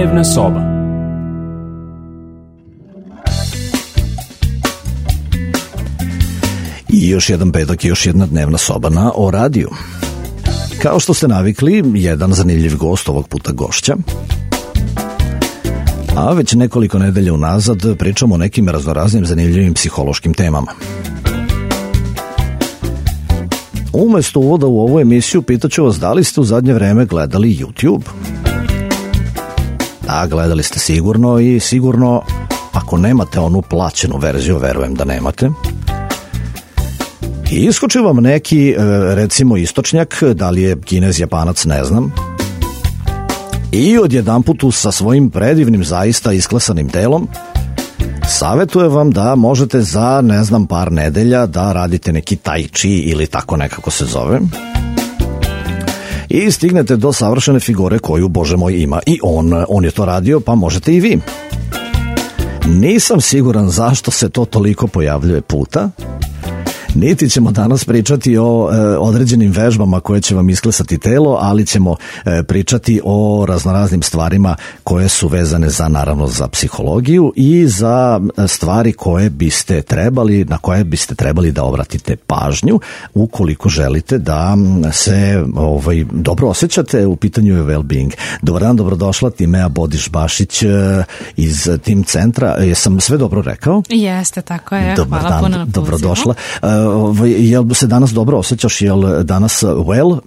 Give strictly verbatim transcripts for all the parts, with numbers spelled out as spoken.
Dnevna soba. I još jedan petak i još jedna dnevna soba na O radiju. Kao što ste navikli, jedan zanimljiv gost, ovog puta gošća. A već nekoliko nedelja unazad pričamo o nekim raznoraznim zanimljivim psihološkim temama. Umesto uvoda u ovu emisiju pitaću vas da li ste u zadnje vreme gledali YouTube. Da, gledali ste sigurno i sigurno ako nemate onu plaćenu verziju, verujem da nemate. I iskoči vam neki, recimo, istočnjak, da li je Kinez, Japanac, ne znam. I odjedanput sa svojim predivnim, zaista isklesanim telom savjetuje vam da možete za, ne znam, par nedelja da radite neki tai chi ili tako nekako se zove. I stignete do savršene figure koju, Bože moj, ima i on. On je to radio, pa možete i vi. Nisam siguran zašto se to toliko pojavljuje puta. Niti ćemo danas pričati o e, određenim vežbama koje će vam isklesati telo, ali ćemo e, pričati o raznoraznim stvarima koje su vezane za, naravno, za psihologiju i za stvari koje biste trebali, na koje biste trebali da obratite pažnju ukoliko želite da se ovaj, dobro osjećate. U pitanju je well-being. Dobar dan, dobrodošla, Timea Bodiš-Bašić iz Tim centra. Jesam sve dobro rekao? Jeste, tako je. Dobar Hvala dan, puno na pozivu. dobrodošla. Jel se danas dobro osjećaš? Jel danas well?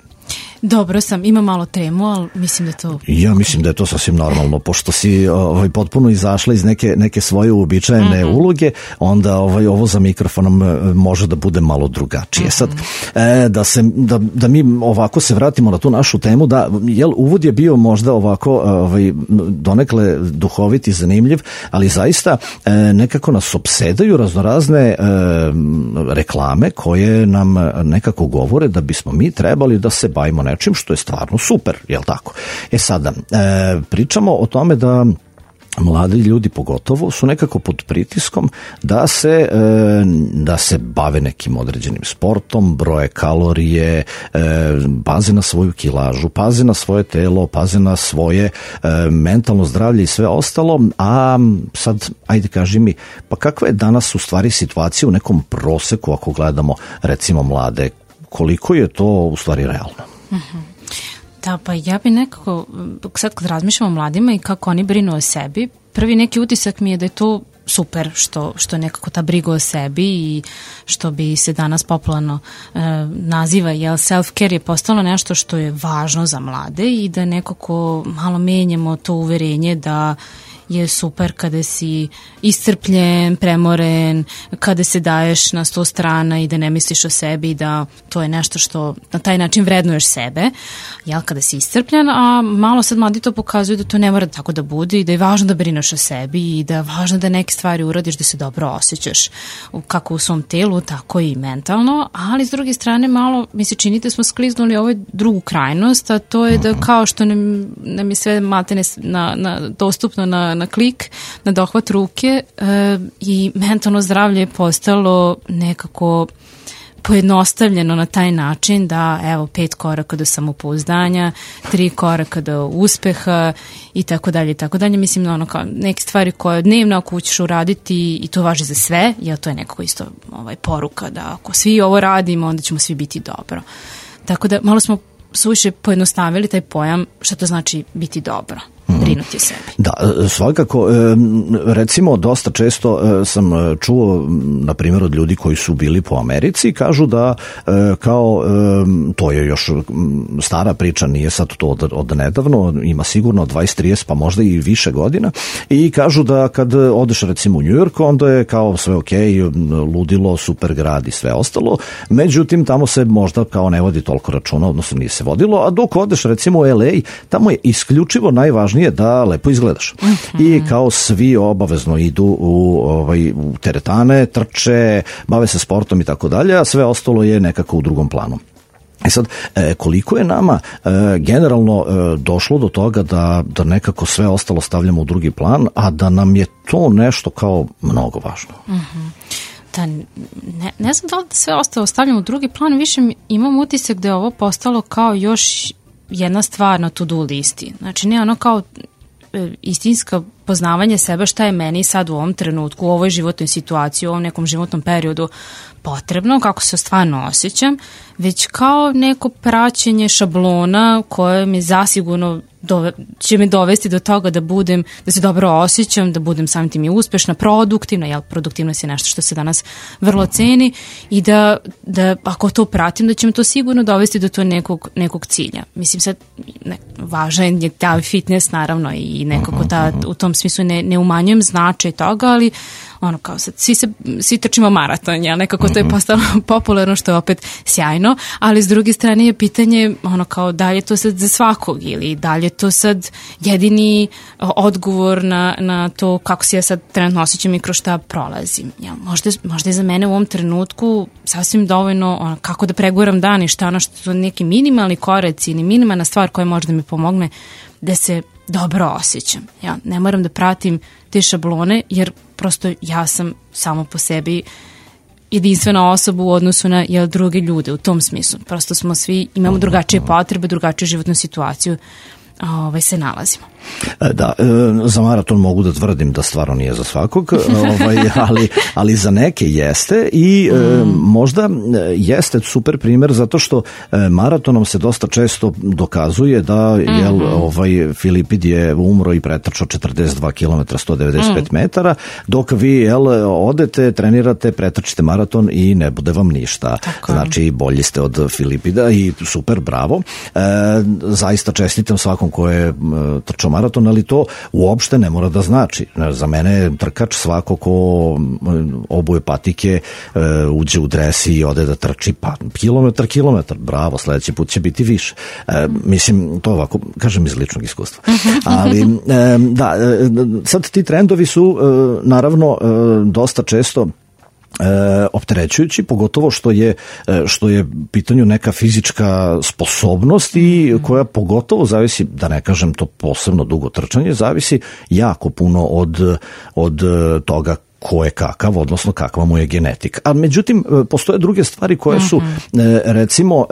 Dobro sam, ima malo tremu, ali mislim da to... Ja mislim da je to sasvim normalno, pošto si ovaj, potpuno izašla iz neke, neke svoje uobičajene mm-hmm. uloge, onda ovaj, ovo za mikrofonom može da bude malo drugačije. Mm-hmm. Sad, e, da, se, da, da mi ovako se vratimo na tu našu temu, da, jel, uvod je bio možda ovako ovaj, donekle duhovit i zanimljiv, ali zaista e, nekako nas opsedaju raznorazne e, reklame koje nam nekako govore da bismo mi trebali da se bavimo nečim što je stvarno super, jel tako? E sada, e, pričamo o tome da mladi ljudi pogotovo su nekako pod pritiskom da se, e, da se bave nekim određenim sportom, broje kalorije, e, paze na svoju kilažu, paze na svoje telo, paze na svoje e, mentalno zdravlje i sve ostalo, a sad, ajde kaži mi, pa kakva je danas u stvari situacija u nekom proseku ako gledamo recimo mlade, koliko je to u stvari realno? Uh-huh. Da, pa ja bi nekako, sad kad razmišljam o mladima i kako oni brinu o sebi, prvi neki utisak mi je da je to super što, što je nekako ta briga o sebi i što bi se danas popularno e, naziva, jel, self-care je postalo nešto što je važno za mlade i da nekako malo menjamo to uverenje da je super kada si iscrpljen, premoren, kada se daješ na sto strana i da ne misliš o sebi, da to je nešto što na taj način vrednuješ sebe, jel, kada si iscrpljen, a malo sad mladi to pokazuju da to ne mora tako da bude i da je važno da brineš o sebi i da je važno da neke stvari uradiš da se dobro osjećaš kako u svom telu, tako i mentalno, ali s druge strane malo mi se čini da smo skliznuli ovoj drugu krajnost, a to je da kao što nam, nam je sve matene na, na, dostupno na na klik, na dohvat ruke e, i mentalno zdravlje je postalo nekako pojednostavljeno na taj način da evo pet koraka do samopouzdanja, tri koraka do uspeha i tako dalje i tako dalje. Mislim ono kao neke stvari koje dnevno ako ćeš uraditi i to važi za sve, jer to je nekako isto ovaj, poruka da ako svi ovo radimo onda ćemo svi biti dobro. Tako da malo smo suviše pojednostavili taj pojam šta to znači biti dobro. Brinuti o sebi. Da, svakako, recimo dosta često sam čuo, na primjer, od ljudi koji su bili po Americi, kažu da kao, to je još stara priča, nije sad to od, od nedavno, ima sigurno dvadeset trideset pa možda i više godina, i kažu da kad odeš recimo u New York, onda je kao sve ok, ludilo, super grad i sve ostalo, međutim tamo se možda kao ne vodi toliko računa, odnosno nije se vodilo, a dok odeš recimo u L A, tamo je isključivo najvažnije da lepo izgledaš. Uh-huh. I kao svi obavezno idu u, ovaj, u teretane, trče, bave se sportom i tako dalje, a sve ostalo je nekako u drugom planu. E sad, koliko je nama generalno došlo do toga da, da nekako sve ostalo stavljamo u drugi plan, a da nam je to nešto kao mnogo važno? Uh-huh. Da, ne, ne znam da li da sve ostalo stavljamo u drugi plan, više imam utisak da je ovo postalo kao još jedna stvar na to-do listi. Znači ne ono kao istinska poznavanje sebe, šta je meni sad u ovom trenutku, u ovoj životnoj situaciji, u ovom nekom životnom periodu potrebno, kako se stvarno osjećam, već kao neko praćenje šablona koje mi zasigurno dove, će me dovesti do toga da budem, da se dobro osjećam, da budem samim tim i uspešna, produktivna, jel, produktivnost je nešto što se danas vrlo ceni i da, da ako to pratim, da će me to sigurno dovesti do to nekog, nekog cilja. Mislim sad, ne, važan je taj fitness naravno i nekako ta, u tom smislu ne, ne umanjujem značaj toga, ali ono kao sad, svi, se, svi trčimo maraton, jel, nekako to je postalo popularno, što je opet sjajno, ali s druge strane je pitanje ono kao da li je to sad za svakog ili da li je to sad jedini odgovor na, na to kako se ja sad trenutno osjećam i kroz šta prolazim. Jel, možda, možda je za mene u ovom trenutku sasvim dovoljno ono, kako da preguram dan i šta ono što su neki minimalni koreci ili minimalna stvar koja može da mi pomogne da se dobro osjećam. Ja ne moram da pratim te šablone jer prosto ja sam samo po sebi jedinstvena osoba u odnosu na jel, druge ljude u tom smislu. Prosto smo svi, imamo drugačije potrebe, drugačiju životnu situaciju ovaj, se nalazimo. Da, za maraton mogu da tvrdim da stvarno nije za svakog, ovaj, ali, ali za neke jeste i mm. možda jeste super primjer zato što maratonom se dosta često dokazuje da mm-hmm. jel, ovaj, Filipid je umro i pretrčao četrdeset dva kilometra sto devedeset pet mm. metara, dok vi jel, odete, trenirate, pretrčite maraton i ne bude vam ništa. Tako. Znači bolji ste od Filipida i super, bravo. E, zaista čestitam svakom ko je trčao maraton, ali to uopšte ne mora da znači. Za mene je trkač svako ko obuje patike, uđe u dres i ode da trči, pa kilometar, kilometar, bravo, sledeći put će biti više. E, mislim, to ovako, kažem iz ličnog iskustva. Ali, e, da, sad ti trendovi su, e, naravno, e, dosta često E, opterećujući, pogotovo što je što je pitanju neka fizička sposobnost i koja pogotovo zavisi, da ne kažem to posebno dugo trčanje, zavisi jako puno od, od toga ko je kakav, odnosno kakva mu je genetika. A međutim, postoje druge stvari koje su, recimo,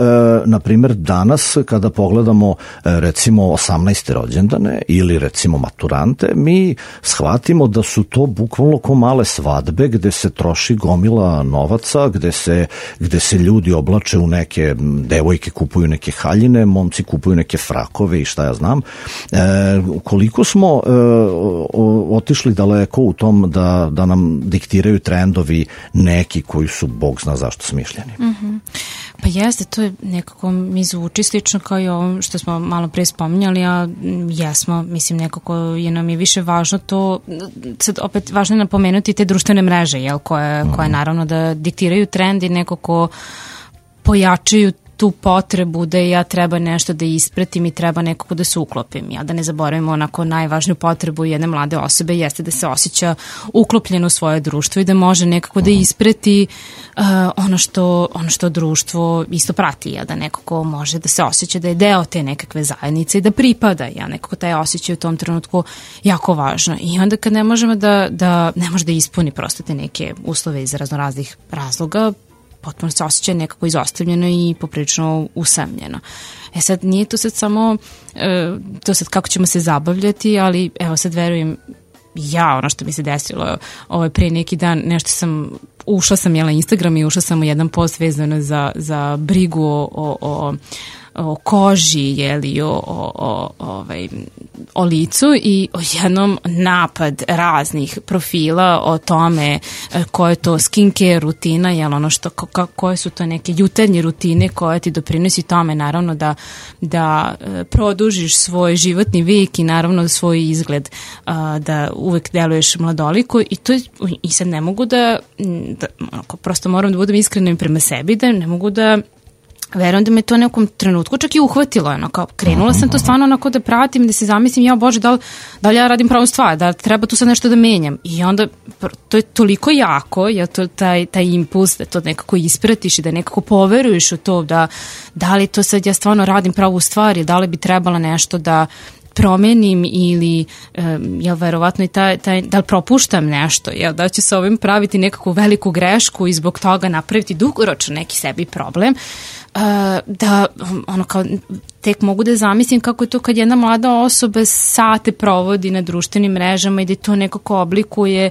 na primjer danas kada pogledamo recimo osamnaeste rođendane ili recimo maturante, mi shvatimo da su to bukvalno ko male svadbe gde se troši gomila novaca, gde se, gde se ljudi oblače u neke, devojke kupuju neke haljine, momci kupuju neke frakove i šta ja znam. E, koliko smo e, otišli daleko u tom da, da nam diktiraju trendovi neki koji su bog zna zašto smišljeni. Mm-hmm. Pa jeste, to je nekako mi zvuči slično kao i ovo što smo malo pre spominjali, a jesmo, mislim nekako je nam je više važno to, sad opet važno je napomenuti te društvene mreže, jel, koje, mm. koje naravno da diktiraju trend i nekako pojačaju tu potrebu da ja treba nešto da ispratim i treba nekako da se uklopim. Ja da ne zaboravimo onako najvažniju potrebu jedne mlade osobe jeste da se osjeća uklopljeno u svoje društvo i da može nekako da isprati uh, ono, što, ono što društvo isto prati. Ja da nekako može da se osjeća da je deo te nekakve zajednice i da pripada. Ja nekako taj osjećaj u tom trenutku jako važno. I onda kad ne možemo da, da ne može da ispuni prosto te neke uslove iz raznoraznih razloga, potpuno se osjeća nekako izostavljeno i poprilično usamljeno. E sad, nije to sad samo e, to sad kako ćemo se zabavljati, ali evo sad verujem ja, ono što mi se desilo ovaj, pre neki dan, nešto sam, ušla sam jela Instagram i ušla sam u jedan post vezano za, za brigu o, o, o o koži, jeli, o, o, o, ovaj, o licu i o jednom napad raznih profila o tome koje je to skincare rutina, jel, ono što, ko, koje su to neke jutarnje rutine koje ti doprinosi tome, naravno da, da produžiš svoj životni vijek i naravno svoj izgled, da uvek deluješ mladoliko i to i sad ne mogu da, da prosto moram da budem iskrena prema sebi, da ne mogu da verujem da me to nekom trenutku čak i uhvatilo, ono, kao krenula sam to stvarno onako da pratim i da se zamislim, ja bože, da li, da li ja radim pravu stvar, da treba tu sad nešto da menjam i onda to je toliko jako, ja to, taj, taj impuls da to nekako ispratiš i da nekako poveruješ u to da, da li to sad ja stvarno radim pravu stvar i da li bi trebala nešto da promenim ili jel verovatno i taj, taj, da li propuštam nešto, jel da ću se ovim praviti nekakvu veliku grešku i zbog toga napraviti dugoročno neki sebi problem, da ono kao tek mogu da zamislim kako je to kad jedna mlada osoba sate provodi na društvenim mrežama i da to nekako oblikuje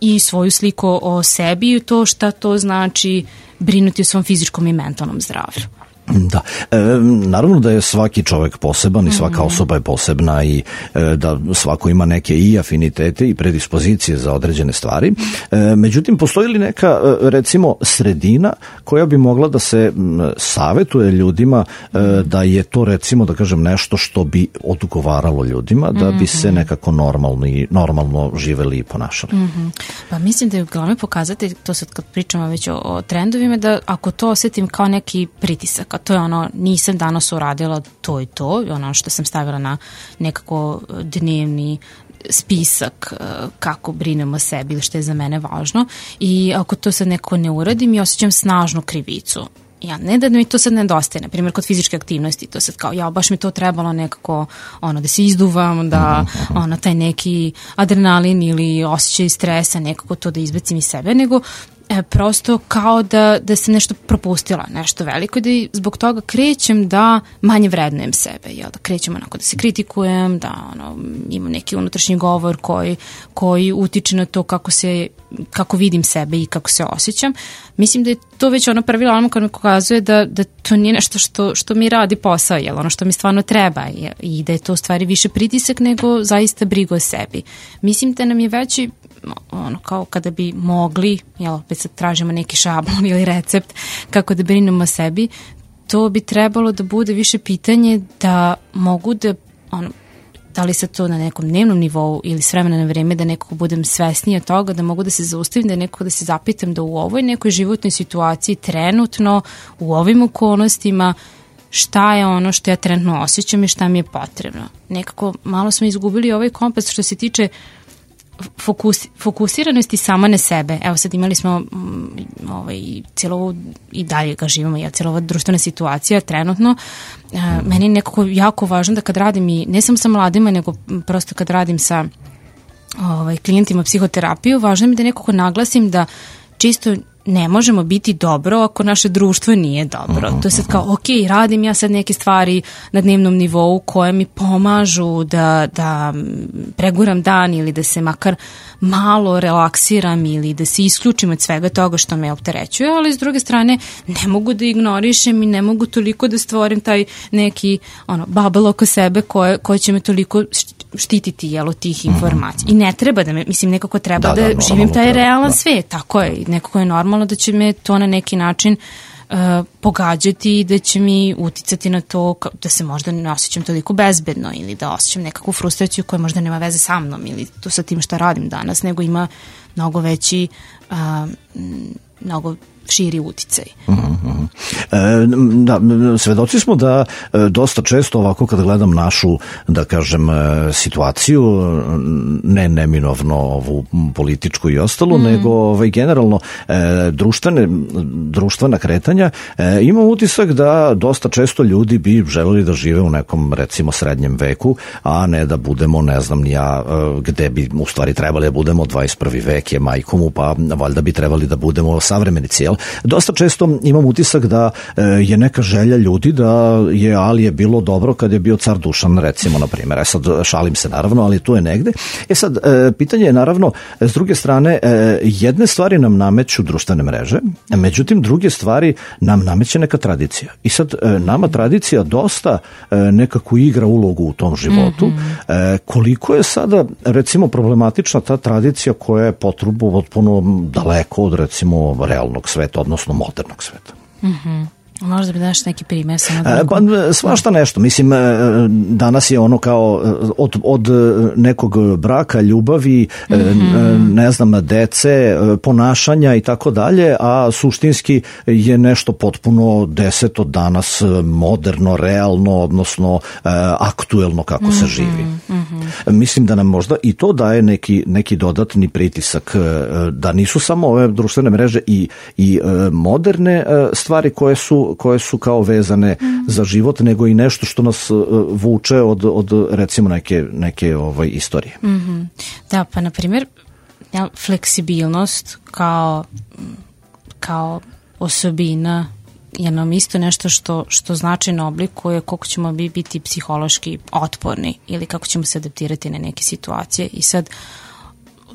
i svoju sliku o sebi i to šta to znači brinuti o svom fizičkom i mentalnom zdravlju. Da, e, naravno da je svaki čovjek poseban i svaka osoba je posebna i e, da svako ima neke i afinitete i predispozicije za određene stvari. E, međutim, postoji li neka, recimo, sredina koja bi mogla da se savetuje ljudima e, da je to, recimo, da kažem, nešto što bi odgovaralo ljudima, da bi se nekako normalno, i, normalno živeli i ponašali? Mm-hmm. Pa mislim da je glavno pokazati, to sad kad pričamo već o, o trendovima, da ako to osjetim kao neki pritisak, a to je ono, nisam danas uradila to i to, ono što sam stavila na nekako dnevni spisak kako brinem o sebi ili što je za mene važno, i ako to sad nekako ne uradim i osjećam snažnu krivicu. Ja, ne da mi to sad nedostaje, na primjer kod fizičke aktivnosti, to sad kao, ja, baš mi to trebalo nekako, ono, da se izduvam, da, ono, taj neki adrenalin ili osjećaj stresa, nekako to da izbacim iz sebe, nego e, prosto kao da, da sam nešto propustila, nešto veliko, i da zbog toga krećem da manje vrednujem sebe, jel, da krećem onako da se kritikujem, da ono, imam neki unutrašnji govor koji, koji utiče na to kako se, kako vidim sebe i kako se osjećam. Mislim da je to već ono prvi alarm kad mi pokazuje da, da to nije nešto što, što mi radi posao, jel, ono što mi stvarno treba, jel, i da je to u stvari više pritisak nego zaista briga o sebi. Mislim da nam je veći, ono, kao kada bi mogli, jel, opet sad tražimo neki šablon ili recept kako da brinemo o sebi, to bi trebalo da bude više pitanje da mogu da, ono, da li se to na nekom dnevnom nivou ili s vremena na vreme, da nekako budem svesnija toga, da mogu da se zaustavim, da nekako da se zapitam da u ovoj nekoj životnoj situaciji trenutno, u ovim okolnostima, šta je ono što ja trenutno osjećam i šta mi je potrebno. Nekako malo smo izgubili ovaj kompas što se tiče fokus, fokusiranosti sama na sebe. Evo sad imali smo ovaj, cijelo ovo, i dalje ga živimo, ja, cijela ova društvena situacija trenutno. E, meni je nekako jako važno da kad radim, i ne samo sa mladima, nego prosto kad radim sa ovaj, klijentima psihoterapiju, važno mi da nekako naglasim da čisto ne možemo biti dobro ako naše društvo nije dobro. To je sad kao, ok, radim ja sad neke stvari na dnevnom nivou koje mi pomažu da, da preguram dan ili da se makar malo relaksiram ili da se isključim od svega toga što me opterećuje, ali s druge strane ne mogu da ignorišem i ne mogu toliko da stvorim taj neki ono, bubble oko sebe koje, koje će me toliko štititi, jel, od tih informacija. I ne treba da me, mislim, nekako treba da, da, da živim taj realan da. svijet, tako je, nekako je normalno da će me to na neki način uh, pogađati i da će mi uticati na to da se možda ne osjećam toliko bezbedno ili da osjećam nekakvu frustraciju koja možda nema veze sa mnom ili to sa tim šta radim danas, nego ima mnogo veći, uh, mnogo širi uticaj. Mm-hmm. E, da, svedoci smo da e, dosta često ovako kad gledam našu, da kažem, e, situaciju, ne neminovno ovu političku i ostalo, mm. nego ovaj, generalno e, društvene, društvena kretanja, e, imam utisak da dosta često ljudi bi želeli da žive u nekom, recimo, srednjem veku, a ne da budemo, ne znam ni ja, e, gde bi u stvari trebali da budemo, dvadeset prvi vek je majkomu, pa valjda bi trebali da budemo savremenici, jel? Dosta često imam utisak da e, je neka želja ljudi da je Alije bilo dobro kad je bio car Dušan, recimo, na primjer. E sad, šalim se naravno, ali tu je negde. E sad, e, pitanje je naravno, s druge strane, e, jedne stvari nam nameću društvene mreže, međutim, druge stvari nam nameće neka tradicija. I sad, e, nama tradicija dosta e, nekako igra ulogu u tom životu. Mm-hmm. E, koliko je sada, recimo, problematična ta tradicija koja je potrubu potpuno daleko od, recimo, realnog sveta, odnosno modernog sveta. Mhm. Možda bi daš neki primjer samo da... Pa, svašta nešto. Mislim, danas je ono kao od, od nekog braka, ljubavi, mm-hmm. ne znam, dece, ponašanja i tako dalje, a suštinski je nešto potpuno deseto danas moderno, realno, odnosno aktuelno kako mm-hmm. se živi. Mm-hmm. Mislim da nam možda i to daje neki, neki dodatni pritisak, da nisu samo ove društvene mreže i, i moderne stvari koje su, koje su kao vezane mm. za život, nego i nešto što nas vuče od, od recimo neke, neke ovaj, istorije. Mm-hmm. Da, pa na primjer, ja, fleksibilnost kao, kao osobina je nam isto nešto što, što značajno oblikuje koliko ćemo mi biti psihološki otporni ili kako ćemo se adaptirati na neke situacije. I sad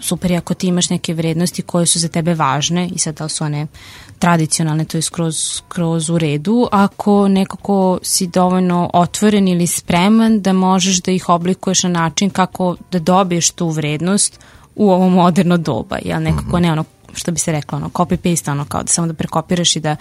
super je ako ti imaš neke vrednosti koje su za tebe važne i sad da li su one tradicionalne, to je skroz, skroz u redu, ako nekako si dovoljno otvoren ili spreman da možeš da ih oblikuješ na način kako da dobiješ tu vrednost u ovo moderno doba, jel nekako ne ono što bi se reklo, ono, copy-paste, ono, kao da samo da prekopiraš i da,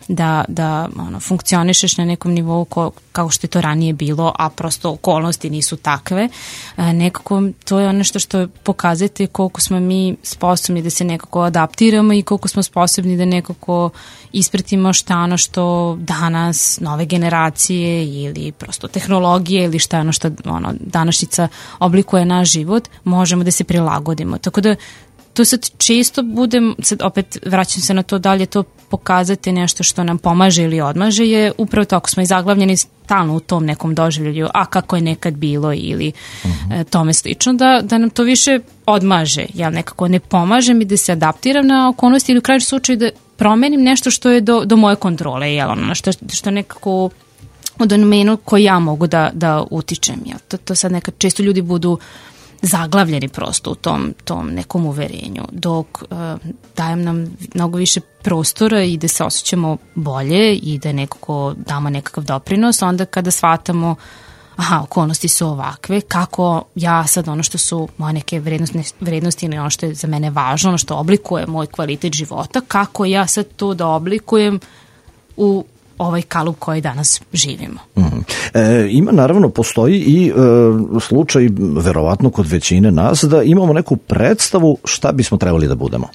da, da ono, funkcionišeš na nekom nivou ko, kao što je to ranije bilo, a prosto okolnosti nisu takve. E, nekako to je ono što što pokazate koliko smo mi sposobni da se nekako adaptiramo i koliko smo sposobni da nekako ispratimo šta ono što danas nove generacije ili prosto tehnologije ili šta ono što ono, današnjica oblikuje naš život, možemo da se prilagodimo. Tako da to sad često budem, sad opet vraćam se na to da li je to pokazati nešto što nam pomaže ili odmaže, je upravo to ako smo i zaglavljeni stalno u tom nekom doživlju, a kako je nekad bilo ili uh-huh. e, tome slično, da, da nam to više odmaže. Ja nekako ne pomaže mi da se adaptiram na okolnosti ili u krajnjem slučaju da promenim nešto što je do, do moje kontrole, jel, ono, što, što nekako u domenu koji ja mogu da, da utičem. Jel. To, to sad nekad često ljudi budu zaglavljeni prosto u tom, tom nekom uverenju, dok uh, dajem nam mnogo više prostora i da se osjećamo bolje i da nekako damo nekakav doprinos, onda kada shvatamo aha, okolnosti su ovakve, kako ja sad ono što su moje neke vrednosti, vrednosti ili ono što je za mene važno, ono što oblikuje moj kvalitet života, kako ja sad to da oblikujem u ovaj kalup koji danas živimo. Mm. E, ima naravno, postoji i e, slučaj, verovatno kod većine nas, da imamo neku predstavu šta bismo trebali da budemo.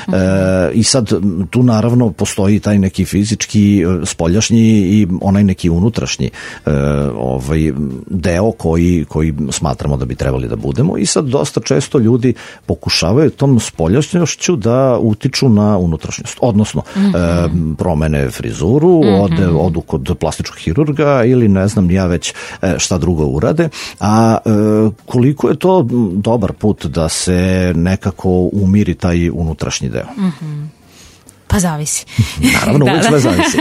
Mm. E, I sad tu naravno postoji taj neki fizički, spoljašnji i onaj neki unutrašnji e, ovaj, deo koji, koji smatramo da bi trebali da budemo i sad dosta često ljudi pokušavaju tom spoljašnjošću da utiču na unutrašnjost. Odnosno, mm-hmm. e, promene frizuru, mm-hmm. od odu kod plastičkog hirurga ili ne znam ja već šta drugo urade, a e, koliko je to dobar put da se nekako umiri taj unutrašnji deo? Mm-hmm. Pa zavisi. Naravno, uvijek sve zavisi.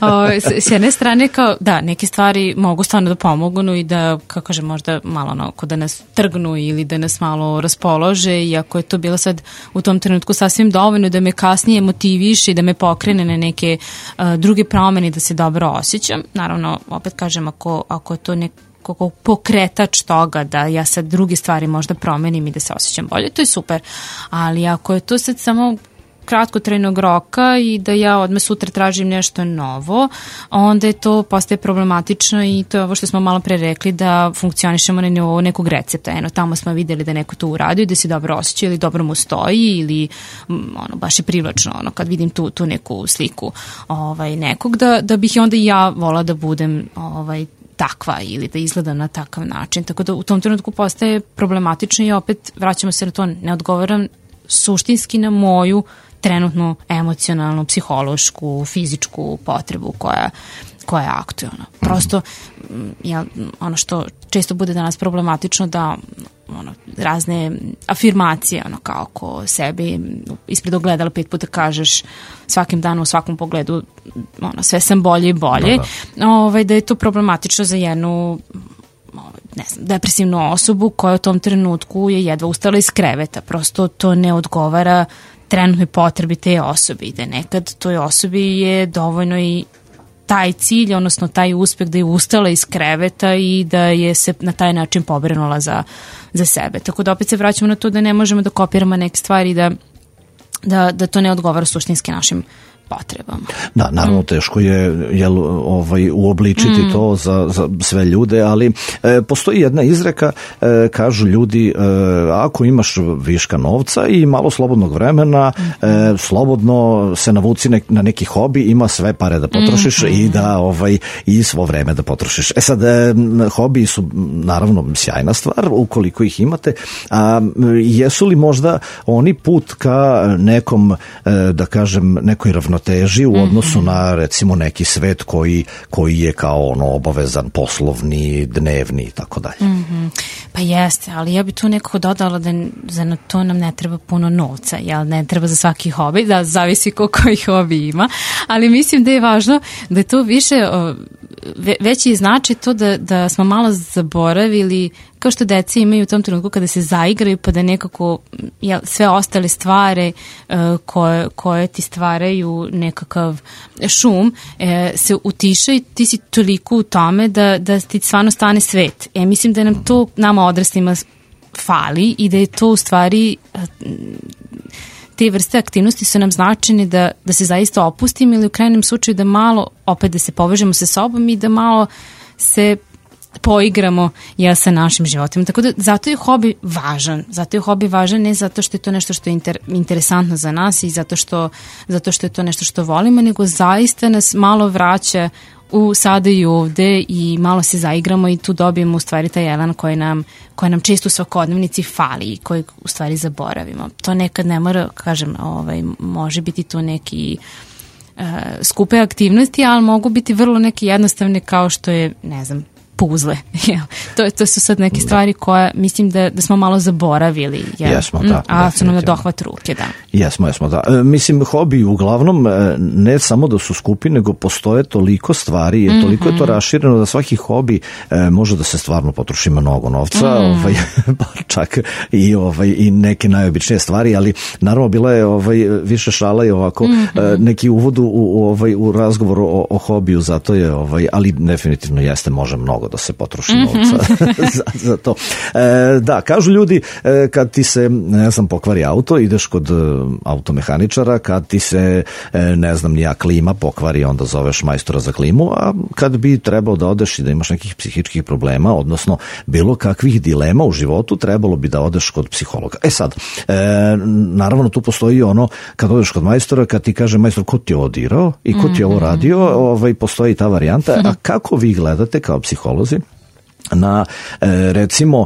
o, s, s jedne strane, kao, da, neke stvari mogu stvarno da pomognu i da, kako kažem, možda malo onako da nas trgnu ili da nas malo raspolože, iako je to bilo sad u tom trenutku sasvim dovoljno da me kasnije motiviše i da me pokrene na neke uh, druge promene da se dobro osjećam. Naravno, opet kažem, ako, ako je to nek kako pokretač toga da ja sad druge stvari možda promenim i da se osjećam bolje, to je super. Ali ako je to sad samo kratkotrajnog roka i da ja odmah sutra tražim nešto novo, onda je to postaje problematično i to je ovo što smo malo pre rekli, da funkcionišemo na nivou nekog recepta. Eno, tamo smo videli da neko to uradio, da se dobro osjeća ili dobro mu stoji ili ono, baš je privlačno ono, kad vidim tu, tu neku sliku ovaj, nekog, da, da bih onda i ja volala da budem ovaj, takva ili da izgledam na takav način. Tako da u tom trenutku postaje problematično i opet vraćamo se na to, ne odgovaram suštinski na moju trenutnu emocionalnu, psihološku, fizičku potrebu koja, koja je aktualna. Prosto ja, ono što često bude danas problematično da ono, razne afirmacije ono, kao ko sebi ispred ogledala pet puta kažeš svakim danom u svakom pogledu ono, sve sam bolje i bolje, da, da. Ovaj, da je to problematično za jednu ne znam, depresivnu osobu koja u tom trenutku je jedva ustala iz kreveta. Prosto to ne odgovara trenutnoj potrebi te osobe i da nekad toj osobi je dovoljno i taj cilj, odnosno taj uspeh da je ustala iz kreveta i da je se na taj način pobrinula za, za sebe. Tako da opet se vraćamo na to da ne možemo da kopiramo neke stvari da, da, da to ne odgovara suštinski našim potrebama. Da, naravno teško je jel, ovaj, uobličiti mm. to za, za sve ljude, ali e, postoji jedna izreka, e, kažu ljudi, e, ako imaš viška novca i malo slobodnog vremena, mm. e, slobodno se navuci nek, na neki hobi, ima sve pare da potrošiš mm. i da ovaj, i svo vreme da potrošiš. E sad, e, hobi su naravno sjajna stvar, ukoliko ih imate, a jesu li možda oni put ka nekom, e, da kažem, nekoj ravnoteži u odnosu mm-hmm. na recimo neki svet koji, koji je kao ono obavezan, poslovni, dnevni i tako dalje. Mm-hmm. Pa jeste, ali ja bi tu nekako dodala da za to nam ne treba puno novca, jel? Ne treba za svaki hobi, da zavisi ko koji hobi ima, ali mislim da je važno da je to više, veći znači to da, da smo malo zaboravili, kao što deca imaju u tom trenutku kada se zaigraju pa da nekako jel, sve ostale stvari uh, koje, koje ti stvaraju nekakav šum uh, se utiša i ti si toliko u tome da, da ti stvarno stane svet. E, mislim da nam to nama odraslima fali i da je to u stvari uh, te vrste aktivnosti su nam značajne da, da se zaista opustimo ili u krajnjem slučaju da malo opet da se povežemo sa sobom i da malo se poigramo ja sa našim životima. Tako da zato je hobi važan. Zato je hobi važan ne zato što je to nešto što je inter, interesantno za nas i zato što, zato što je to nešto što volimo, nego zaista nas malo vraća u sada i ovde i malo se zaigramo i tu dobijemo u stvari taj elan koji nam, koji nam često u svakodnevnici fali i koji u stvari zaboravimo. To nekad ne mora, kažem, ovaj, može biti to neki uh, skupe aktivnosti, ali mogu biti vrlo neke jednostavne kao što je, ne znam, puzle. to, to su sad neke stvari koje mislim da, da smo malo zaboravili. Jel? Jesmo, da. A su nam na dohvat ruke, da. Jesmo, jesmo, da. E, mislim, hobi uglavnom ne samo da su skupi, nego postoje toliko stvari, mm-hmm. toliko je to rašireno da svaki hobi e, može da se stvarno potroši mnogo novca, mm. ovaj, čak i, ovaj, i neke najobičnije stvari, ali naravno bila je ovaj, više šala i ovako mm-hmm. e, neki uvod u, u, ovaj, u razgovor o, o hobiju, zato je, ovaj, ali definitivno jeste, može mnogo da se potroši novca mm-hmm. za, za to. E, da, kažu ljudi, e, kad ti se, ne znam, pokvari auto, ideš kod e, automehaničara, kad ti se, e, ne znam, nija klima pokvari, onda zoveš majstora za klimu, a kad bi trebao da odeš i da imaš nekih psihičkih problema, odnosno bilo kakvih dilema u životu, trebalo bi da odeš kod psihologa. E sad, e, naravno tu postoji ono, kad odeš kod majstora, kad ti kaže majstor, ko ti je ovo dirao i ko ti je ovo radio, ovaj, postoji ta varijanta, a kako vi gledate kao psiholozi na recimo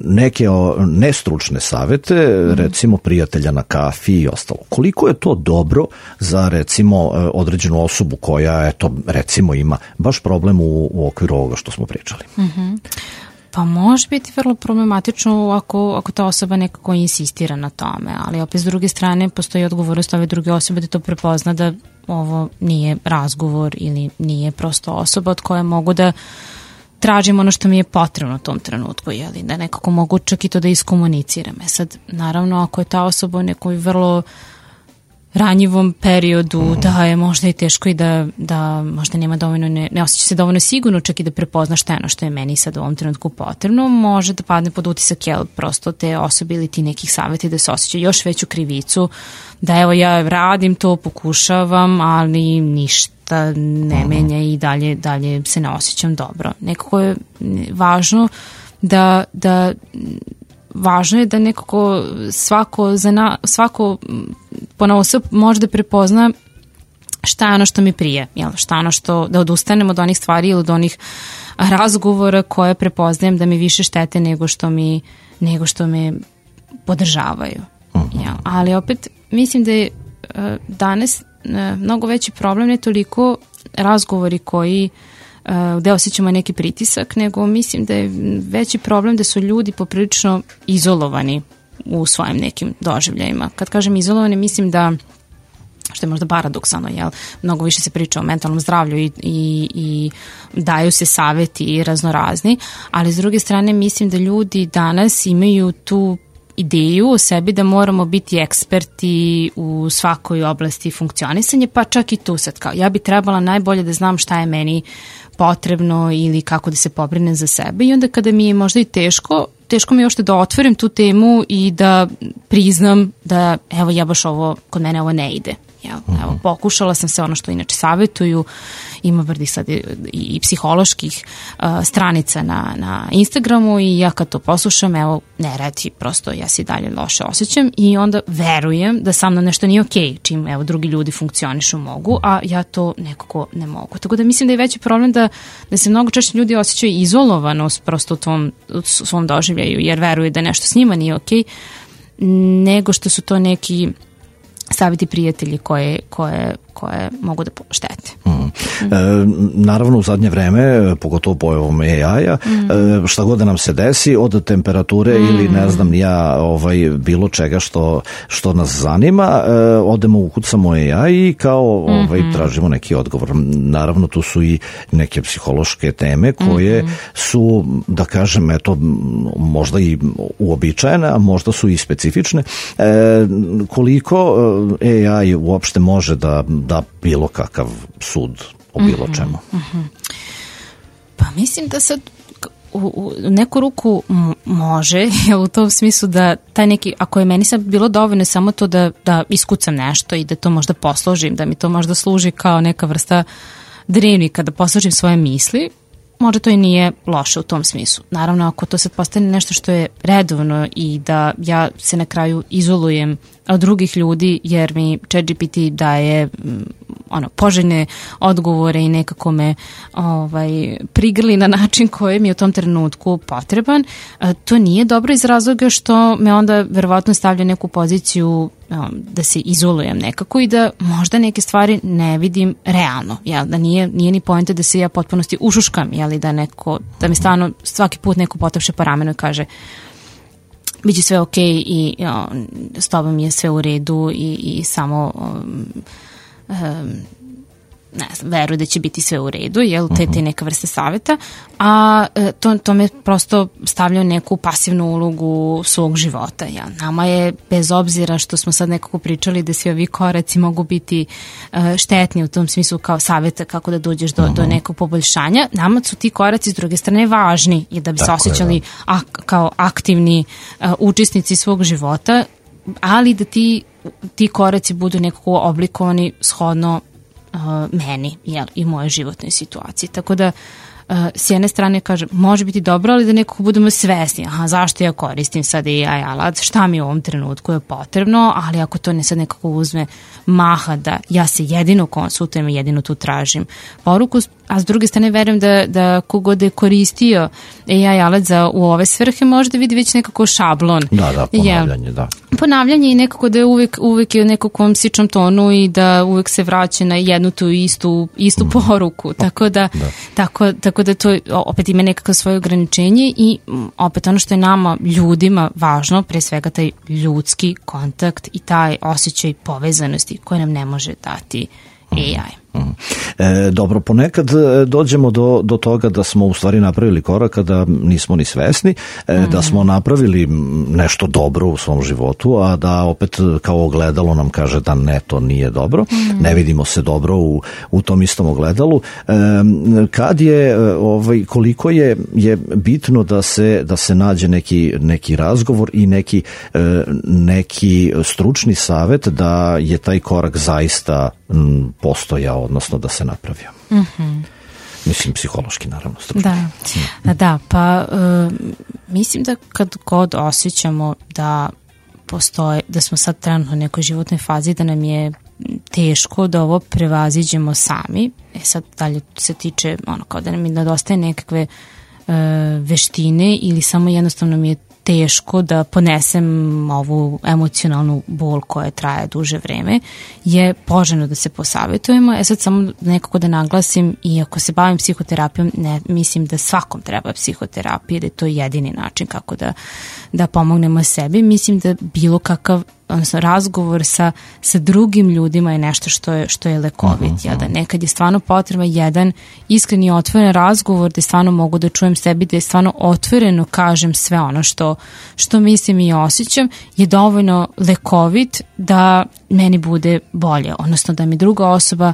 neke nestručne savete, recimo prijatelja na kafi i ostalo. Koliko je to dobro za recimo određenu osobu koja eto recimo ima baš problem u, u okviru ovoga što smo pričali? Mhm. Pa može biti vrlo problematično ako, ako ta osoba nekako insistira na tome, ali opet s druge strane postoji odgovornost ove druge osobe da to prepozna da ovo nije razgovor ili nije prosto osoba od koje mogu da tražim ono što mi je potrebno u tom trenutku, jeli, da nekako mogu čak i to da iskomuniciram. E sad, naravno, ako je ta osoba u nekoj vrlo ranjivom periodu, mm. da je možda i teško i da, da možda nema dovoljno, ne, ne osjeća se dovoljno sigurno čak i da prepozna šta je ono što je meni sad u ovom trenutku potrebno, može da padne pod utisak, jel, prosto te osobe ili ti nekih savjeti da se osjeća još veću krivicu, da evo ja radim to, pokušavam, ali ništa ne menja i dalje, dalje se ne osjećam dobro. Nekako je važno da, da važno je da nekako svako, za na, svako ponaosob može da prepozna šta je ono što mi prije, jel? Šta je ono što, da odustanem od onih stvari ili od onih razgovora koje prepoznajem da mi više štete nego što mi, nego što me podržavaju. Jel? Ali opet mislim da je danas mnogo veći problem, ne toliko razgovori koji gde osjećamo neki pritisak, nego mislim da je veći problem da su ljudi poprilično izolovani u svojim nekim doživljajima. Kad kažem izolovani, mislim da, što je možda paradoksalno, jel, mnogo više se priča o mentalnom zdravlju i, i, i daju se saveti raznorazni, ali s druge strane mislim da ljudi danas imaju tu ideju o sebi da moramo biti eksperti u svakoj oblasti funkcionisanja, pa čak i tu sad kao, ja bi trebala najbolje da znam šta je meni potrebno ili kako da se pobrinem za sebe i onda kada mi je možda i teško, teško mi je ošte da otvorim tu temu i da priznam da evo ja baš ovo, kod mene ovo ne ide. Jel? Uh-huh. Evo, pokušala sam se ono što inače savjetuju, ima vrdi sad i, i psiholoških uh, stranica na, na Instagramu i ja kad to poslušam, evo, ne radi, prosto ja se dalje loše osjećam i onda verujem da sa mnom nešto nije okej, čim evo drugi ljudi funkcionišu mogu, a ja to nekako ne mogu. Tako da mislim da je veći problem da, da se mnogo češće ljudi osjećaju izolovanost prosto u tom u svom doživljaju, jer veruju da nešto s njima nije okej, nego što su to neki savjeti prijatelji koje, koje, koje mogu da štete. Mm. Mm. E, naravno u zadnje vreme, pogotovo pojavom A I-a, mm. e, šta god da nam se desi, od temperature mm. ili ne znam ja, ovaj, bilo čega što, što nas zanima, e, odemo ukucamo A I i kao ovaj, mm-hmm. tražimo neki odgovor. Naravno tu su i neke psihološke teme koje mm-hmm. su, da kažem, eto, možda i uobičajene, a možda su i specifične. E, koliko A I uopšte može da da bilo kakav sud o bilo čemu? Mm-hmm. Pa mislim da sad u, u neku ruku m- može, u tom smislu da taj neki, ako je meni sad bilo dovoljno samo to da, da iskucam nešto i da to možda posložim, da mi to možda služi kao neka vrsta drevnika, da posložim svoje misli, možda to i nije loše u tom smislu. Naravno, ako to sad postane nešto što je redovno i da ja se na kraju izolujem od drugih ljudi, jer mi ChatGPT daje ono, poželjne odgovore i nekako me ovaj, prigrli na način koji mi je u tom trenutku potreban, to nije dobro iz razloga što me onda verovatno stavlja neku poziciju da se izolujem nekako i da možda neke stvari ne vidim realno, jel? Da nije, nije ni poenta da se ja potpunosti ušuškam, jel? Da, neko, da mi stvarno svaki put neko potapše po ramenu i kaže biće sve okej i o, s tobom je sve u redu i, i samo um, um, ne znam, veruju da će biti sve u redu, jel, te, te neka vrste savjeta, a to, to me prosto stavlja neku pasivnu ulogu svog života, jel. Nama je, bez obzira što smo sad nekako pričali da svi ovi koraci mogu biti uh, štetni u tom smislu kao savjeta kako da dođeš do, do nekog poboljšanja, nama su ti koraci s druge strane važni i da bi Tako se osjećali ak, kao aktivni uh, učesnici svog života, ali da ti, ti koraci budu nekako oblikovani shodno Uh, meni, jel, i moje životnoj situaciji. Tako da uh, s jedne strane kažem, može biti dobro, ali da nekako budemo svesni, aha, zašto ja koristim sad A I alat, šta mi u ovom trenutku je potrebno, ali ako to ne sad nekako uzme maha da ja se jedino konsultujem i jedino tu tražim poruku, a s druge strane verujem da, da kogod je koristio A I alat za u ove svrhe možda vidi već nekako šablon. Da, da, ponavljanje, da. Ponavljanje i nekako da je uvek, uvek je u nekakvom sičnom tonu i da uvek se vraća na jednu tu istu, istu mm. poruku. Tako da, da. Tako, tako da to opet ima nekako svoje ograničenje i opet ono što je nama ljudima važno, pre svega taj ljudski kontakt i taj osjećaj povezanosti koje nam ne može dati A I. Mm. E, dobro, ponekad dođemo do, do toga da smo u stvari napravili korak da nismo ni svesni, e, mm. da smo napravili nešto dobro u svom životu, a da opet kao ogledalo nam kaže da ne, to nije dobro, mm. ne vidimo se dobro u, u tom istom ogledalu. E, kad je, ovaj, koliko je, je bitno da se, da se nađe neki, neki razgovor i neki, neki stručni savjet da je taj korak zaista postojao, odnosno da se napravio. Mm-hmm. Mislim, psihološki, naravno. Stručni. Da, mm. da, pa uh, mislim da kad god osjećamo da postoje, da smo sad trenutno u nekoj životnoj fazi, da nam je teško da ovo prevaziđemo sami, e sad dalje se tiče ono kao da nam nedostaje nekakve uh, veštine ili samo jednostavno mi je teško da ponesem ovu emocionalnu bol koja traje duže vreme, je poželjno da se posavjetujemo. E sad samo nekako da naglasim, i ako se bavim psihoterapijom, ne mislim da svakom treba psihoterapija, da je to jedini način kako da, da pomognemo sebi. Mislim da bilo kakav odnosno razgovor sa, sa drugim ljudima je nešto što je, što je lekovit. Uh-huh, ja, da nekad je stvarno potreba jedan iskreni otvoren razgovor gde stvarno mogu da čujem sebi, da je stvarno otvoreno kažem sve ono što, što mislim i osjećam, je dovoljno lekovit da meni bude bolje. Odnosno da mi druga osoba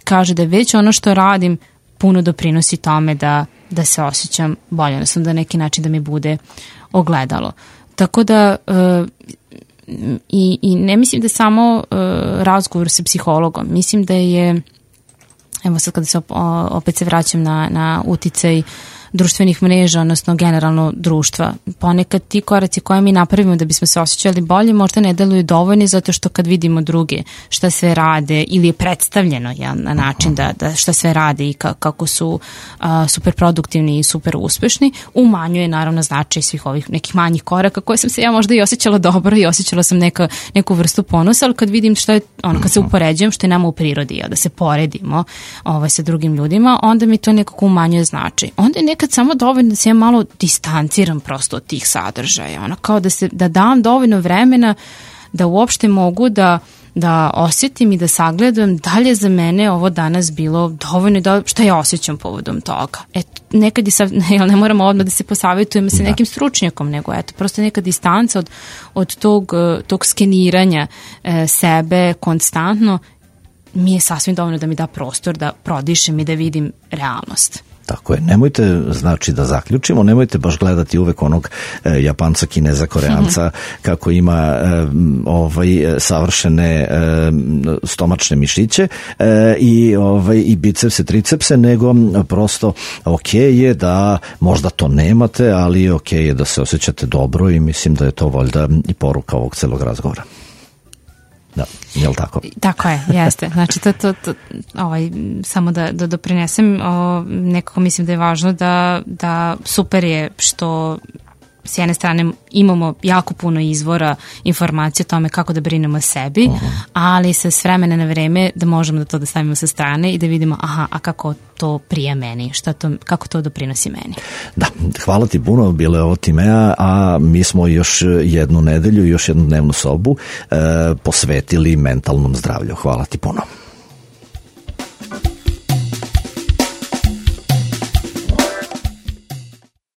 kaže da već ono što radim puno doprinosi tome da, da se osjećam bolje. Odnosno da neki način da mi bude ogledalo. Tako da uh, i, i ne mislim da je samo uh, razgovor sa psihologom, mislim da je, evo sad kada se op, opet se vraćam na, na uticaj društvenih mreža, odnosno generalno društva. Ponekad ti koraci koje mi napravimo da bismo se osjećali bolje možda ne deluju dovoljni, zato što kad vidimo druge šta sve rade ili je predstavljeno ja, na način da, da šta sve rade i ka, kako su a, super produktivni i super uspešni, umanjuje naravno značaj svih ovih nekih manjih koraka koje sam se ja možda i osjećala dobro i osjećala sam neka, neku vrstu ponosa, ali kad vidim šta je, ono, kad se upoređujem što je nama u prirodi, ja, da se poredimo ovaj, sa drugim ljudima, onda mi to nekako umanjuje značaj. Onda je nekad samo dovoljno da se ja malo distanciram prosto od tih sadržaja, ono kao da se da dam dovoljno vremena da uopšte mogu da da osjetim i da sagledam da li je za mene ovo danas bilo dovoljno, da šta ja osjećam povodom toga. Eto, nekad i sad, ne, ne moramo odmah da se posavjetujemo sa nekim stručnjakom, nego eto, prosto neka distanca od, od tog, tog skeniranja e, sebe konstantno mi je sasvim dovoljno da mi da prostor da prodišem i da vidim realnost. Tako je, nemojte, znači da zaključimo, nemojte baš gledati uvek onog e, Japanca, Kineza, Koreanca mm-hmm. kako ima e, ovaj savršene e, stomačne mišiće e, i ovaj i bicepse, tricepse, nego prosto ok je da možda to nemate, ali ok je da se osjećate dobro i mislim da je to valjda i poruka ovog celog razgovora. Da, je li tako? Tako je, jeste. Znači, to, to, to, ovaj, samo da, da doprinesem, o, nekako mislim da je važno da, da super je što s jedne strane imamo jako puno izvora informacije o tome kako da brinemo o sebi, uh-huh. ali sa s vremena na vreme da možemo da to da stavimo sa strane i da vidimo aha, a kako to prija meni, šta to, kako to doprinosi meni. Da, hvala ti puno, bilo je ovo Timea, a mi smo još jednu nedelju, još jednu dnevnu sobu e, posvetili mentalnom zdravlju. Hvala ti puno.